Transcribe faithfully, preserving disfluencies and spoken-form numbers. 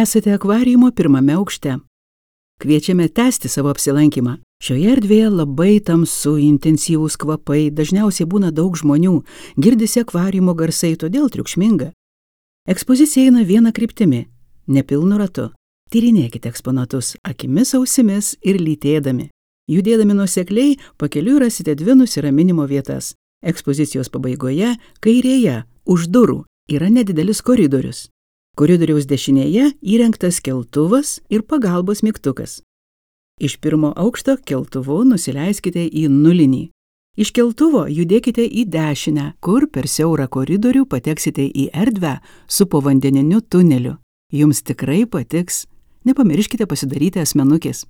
Esate akvariumo pirmame aukšte. Kviečiame tęsti savo apsilankymą. Šioje erdvėje labai tamsu, intensyvūs kvapai, dažniausiai būna daug žmonių, girdisi akvariumo garsai, todėl triukšminga. Ekspozicija eina viena kryptimi, nepilnu ratu. Tyrinėkite eksponatus akimis, ausimis ir lytėdami. Judėdami nuosekliai, pakeliui rasite dvi nusiraminimo vietas. Ekspozicijos pabaigoje, kairėje, už durų, yra nedidelis koridorius. Koridoriaus dešinėje įrengtas keltuvas ir pagalbos mygtukas. Iš pirmo aukšto keltuvu nusileiskite į nulinį. Iš keltuvo judėkite į dešinę, kur per siaurą koridorių pateksite į erdvę su povandeniniu tuneliu. Jums tikrai patiks. Nepamirškite pasidaryti asmenukės.